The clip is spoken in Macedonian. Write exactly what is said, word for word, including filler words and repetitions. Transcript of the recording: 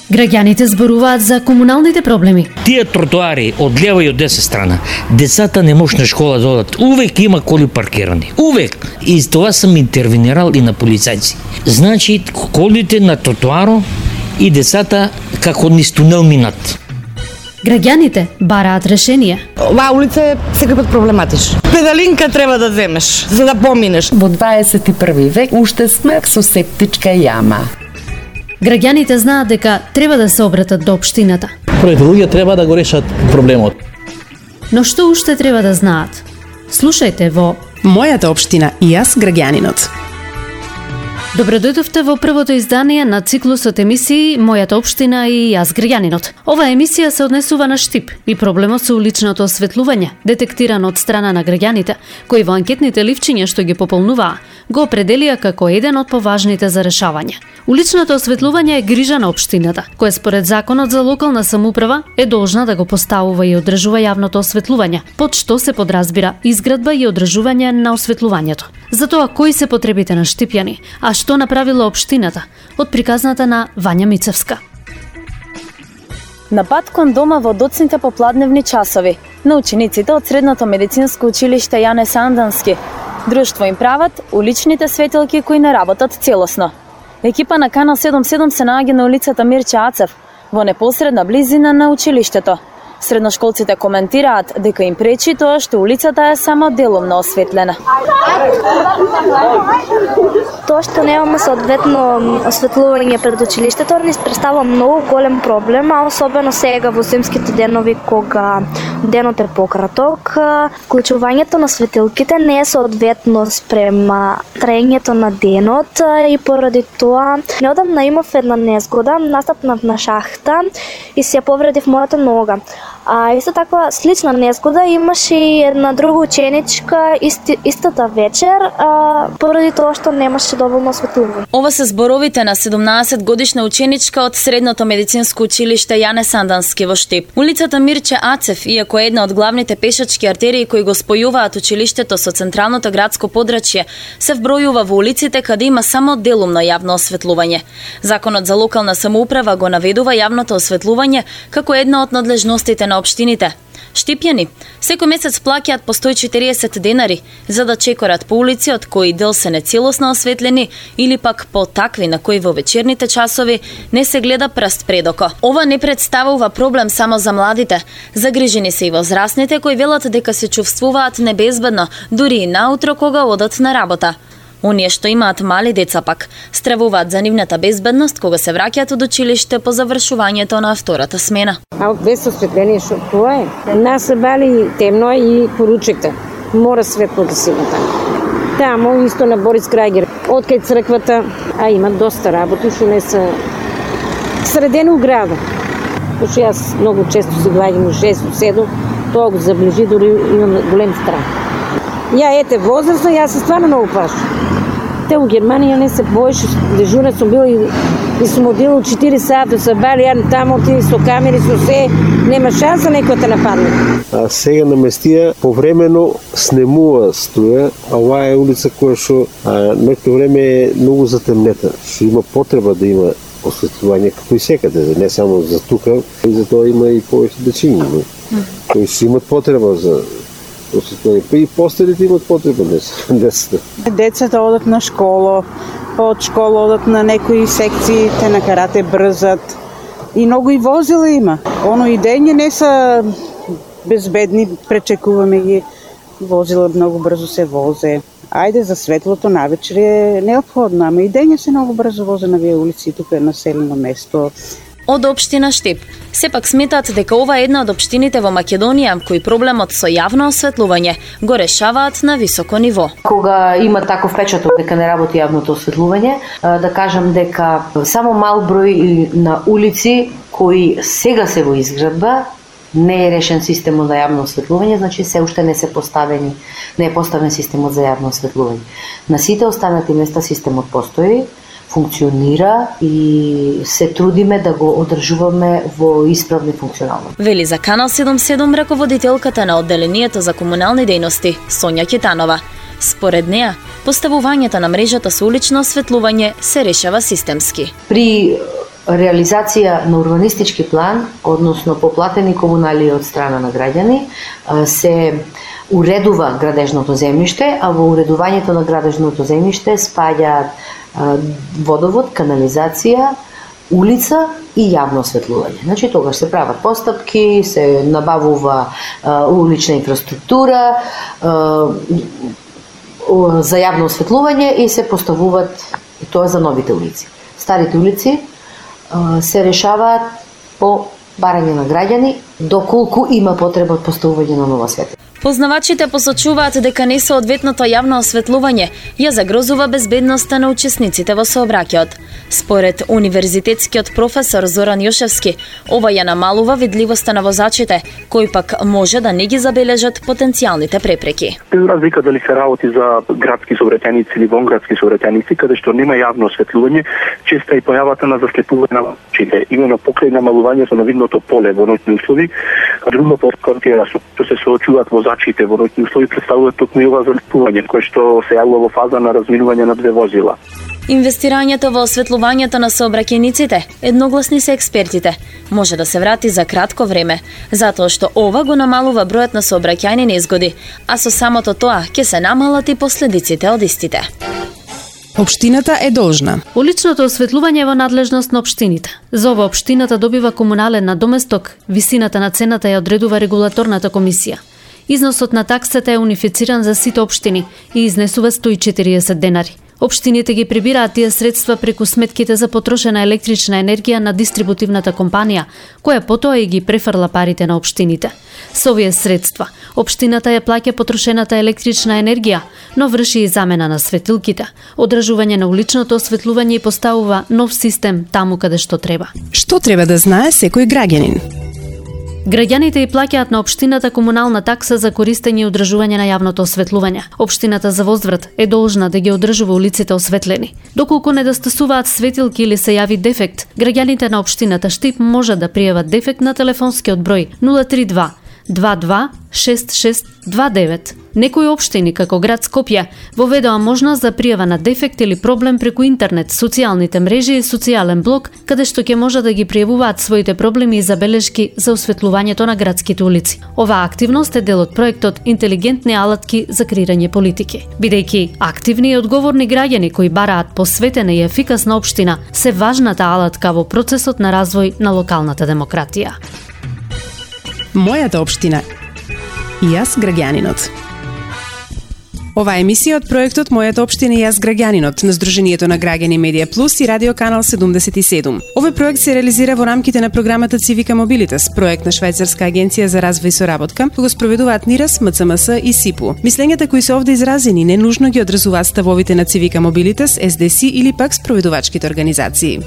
Граѓаните зборуваат за комуналните проблеми. Тие тротоари од лева и од десна страна, децата не може на школа да одат. Увек има коли паркирани. Увек. И за това сам интервенирал и на полицајци. Значи, колите на тротоаро и децата како низ тунел минат. Граѓаните бараат решение. Оваа улица е секој проблематична. Педалинка треба да земеш за да поминеш. Во дваесет и први век уште сме со септичка јама. Граѓаните знаат дека треба да се обратат до општината. Првите луѓе треба да го решат проблемот. Но што уште треба да знаат? Слушајте во Мојата општина и јас граѓанинот. Добродојдовте во првото издание на циклусот емисии Мојата општина и јас граѓанинот. Оваа емисија се однесува на Штип и проблемот со уличното осветлување, детектиран од страна на граѓаните, кои во анкетните ливчиња што ги пополнуваа, го определија како еден од поважните за решавање. Уличното осветлување е грижа на општината, која според законот за локална самоуправа е должна да го поставува и одржува јавното осветлување, под што се подразбира изградба и одржување на осветлувањето. Затоа кои се потребите на штипјани, а што направила општината, од приказната на Вања Мицевска. На пат кон дома во доцните попладневни часови на учениците од Средното медицинско училиште Јане Сандански, друштво им прават уличните светилки кои не работат целосно. Екипа на Канал седум седум се наоѓа на улицата Мирче Ацев, во непосредна близина на училиштето. Средношколците коментираат дека им пречи тоа што улицата е само делумно осветлена. Тоа што немаме соодветно осветлување пред училиштето ни представува многу голем проблем, а особено сега во зимските денови кога денот е пократок, вклучувањето на светилките не е соодветно спрема траењето на денот и поради тоа неодамна имав една незгода, настапнав на шахта и се повредив мојата нога. А исто така слична незгода имаше и една друга ученичка исти, истата вечер, а, поради тоа што немаше доволно осветлување. Ова се зборовите на седумнаесет годишна ученичка од Средното медицинско училиште Јане Сандански во Штип. Улицата Мирче Ацев, иако е една од главните пешачки артерии кои го спојуваат училиштето со централното градско подрачје, се вбројува во улиците каде има само делумно јавно осветлување. Законот за локална самоуправа го наведува јавното осветлување како една од надлежностите на општините. Штипјани секој месец плаќаат по сто и четириесет денари за да чекорат по улици од кои дел се нецелосно осветлени или пак по такви на кои во вечерните часови не се гледа прст предоко. Ова не представува проблем само за младите. Загрижени се и возрастните кои велат дека се чувствуваат небезбедно дури и наутро кога одат на работа. Оние што имаат мали деца пак стравуваат за нивната безбедност кога се враќаат од училиште по завршувањето на втората смена. А без осветление што тоа е? Нас се бали темно и поручекте. Мора светло да се има таму. Тамо исто на Борис Крајгер, од кај црквата, а има доста работи што не се средени у града. Пошто јас многу често се гледам у шест, седум, тоа го заближи, дури имам голем страх. Ја ете возрастна, јас се стварно многу плашам. Те у Германија не се боеше, дежурна сум била и, и сум одила четири сата, се бали ја тамо ти со камери, со се, нема шанса некој те нападне. А сега наместија повремено снемува струја, а оваа е улица која што некој време е многу затемнета, што има потреба да има осветлување како и секаде, не само за тука, и за тоа има и повеќе дечиња, кои што имат потреба за осветлување. Па и постарите имат потреба децата. Децата одат на школа, од школа одат на некои секции, те на карате брзат. И многу и возила има. Оно и дење не са безбедни, пречекуваме ги. Возила многу брзо се возе. Ајде за светлото навечер е неопходно, ама и дење се многу брзо возе на вие улици, тука е населено место. Од општина Штип сепак сметаат дека ова е една од општините во Македонија кои проблемот со јавно осветлување го решаваат на високо ниво. Кога има таков печаток дека не работи јавното осветлување, да кажам дека само мал број на улици кои сега се во изградба не е решен системот за јавно осветлување, значи се уште не се поставени, не е поставен системот за јавно осветлување. На сите останати места системот постои, функционира и се трудиме да го одржуваме во исправно и функционално. Вели за Канал седум седум раководителката на одделението за комунални дејности Сонја Китанова. Според неа, поставувањето на мрежата со улично осветлување се решава системски. При реализација на урбанистички план, односно поплатени комунали од страна на граѓани, се уредува градежното земјиште, а во уредувањето на градежното земјиште спаѓаат водовод, канализација, улица и јавно осветлување. Значи тогаш се прават постапки, се набавува а, улична инфраструктура а, за јавно осветлување и се поставуваат, и тоа за новите улици. Старите улици а, се решаваат по барање на граѓани, доколку има потреба од поставување на нова светлина. Познавачите посочуваат дека несоодветното јавно осветлување ја загрозува безбедноста на учесниците во сообраќајот. Според универзитетскиот професор Зоран Јошевски, ова ја намалува видливоста на возачите, кои пак може да не ги забележат потенцијалните препреки. Без разлика дали се работи за градски сообраќајници или вонградски сообраќајници, каде што нема јавно осветлување, често и појавата на заслепување на возачите, именно покрај намалувањето на видното поле во ноќни услови, а друго подконтија што се соочуваат возачите во ноќни услови представуваат токму и ова заслепување, кое што се јавува во фаза на разминување на две возила. Инвестирањето во осветлувањето на сообраќајниците, едногласни се експертите, може да се врати за кратко време, затоа што ова го намалува бројот на сообраќајни незгоди, а со самото тоа ќе се намалат и последиците од истите. Општината е должна. Уличното осветлување е во надлежност на општините. За ова општината добива комунален надоместок, висината на цената ја одредува регулаторната комисија. Износот на таксата е унифициран за сите општини и изнесува сто и четириесет денари. Општините ги прибираат тие средства преку сметките за потрошена електрична енергија на дистрибутивната компанија, која потоа и ги префрла парите на општините. Со овие средства, општината ја плаќа потрошената електрична енергија, но врши и замена на светилките, одржување на уличното осветлување и поставува нов систем таму каде што треба. Што треба да знае секој граѓанин? Граѓаните и плаќаат на општината комунална такса за користење и одржување на јавното осветлување. Општината за возврат е должна да ги одржува улиците осветлени. Доколку недостасуваат светилки или се јави дефект, граѓаните на општината Штип може да пријават дефект на телефонскиот број нула три два два два шест шест два девет. Некои општини, како град Скопје, воведоа можност за пријава на дефект или проблем преку интернет, социјалните мрежи и социјален блог, каде што ќе може да ги пријавуваат своите проблеми и забелешки за осветлувањето на градските улици. Оваа активност е дел од проектот Интелигентни алатки за креирање политики. Бидејќи активни и одговорни граѓани кои бараат посветена и ефикасна општина се важната алатка во процесот на развој на локалната демократија. Мојата општина и јас граѓанинот. Ова е емисија од проектот Мојата општина и јас граѓанинот на Сдруженијето на граѓани Медија Плюс и Радио Канал седумдесет и седум. Овој проект се реализира во рамките на програмата Civica Mobilitas, проект на Швајцарска агенција за развој и соработка, кој го спроведуваат НИРАС, МЦМС и СИПУ. Мислењата кои се овде изразени не нужно ги одразуваат ставовите на Civica Mobilitas, Ес Ди Си или пак спроведувачките организации.